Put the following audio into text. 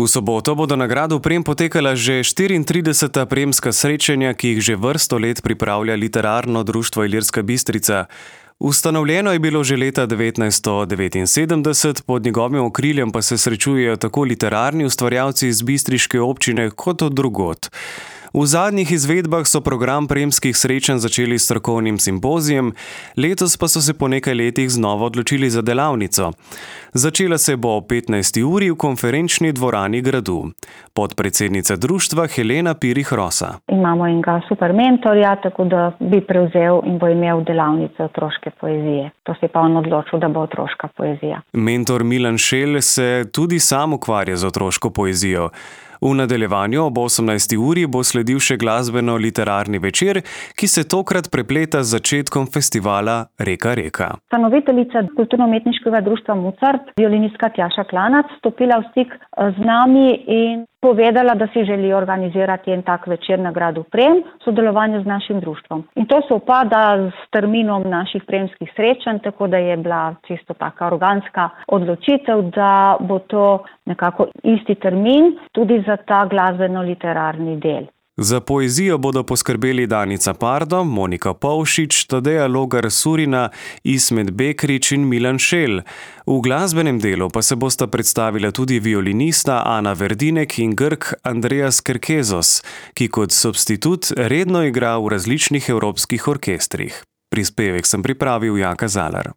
V soboto bodo na gradu Prem potekala že 34. premska srečanja, ki jih že vrsto let pripravlja Literarno društvo Ilirska Bistrica. Ustanovljeno je bilo že leta 1979, pod njegovim okriljem pa se srečujejo tako literarni ustvarjalci iz bistriške občine kot od drugod. V zadnjih izvedbah so program premskih srečanj začeli s strokovnim simpozijem, letos pa so se po nekaj letih znova odločili za delavnico. Začela se bo ob 15. uri v konferenčni dvorani gradu. Podpredsednica društva Helena Pirih Rosa. Imamo enega super mentorja, tako da bi prevzel in bo imel delavnico otroške poezije. To se je pa on odločil, da bo otroška poezija. Mentor Milan Šel se tudi sam ukvarja z otroško poezijo. V nadaljevanju ob 18. uri bo sledil še glasbeno-literarni večer, ki se tokrat prepleta z začetkom festivala Reka reka. Ustanoviteljica kulturno-umetniškega društva Mozart, violinistka Tjaša Klanac, stopila v stik z nami in povedala, da si želi organizirati en tak večer na gradu Prem v sodelovanju z našim društvom. In to se upada s terminom naših premskih srečanj, tako da je bila čisto taka organska odločitev, da bo to nekako isti termin tudi za ta glasbeno-literarni del. Za poezijo bodo poskrbeli Danica Pardo, Monika Pavšič, Tadeja Logar-Surina, Ismet Bekrič in Milan Šel. V glasbenem delu pa se bosta predstavila tudi violinista Ana Verdinek in Grk Andreas Kerkezos, ki kot substitut redno igra v različnih evropskih orkestrih. Prispevek sem pripravil Jaka Zalar.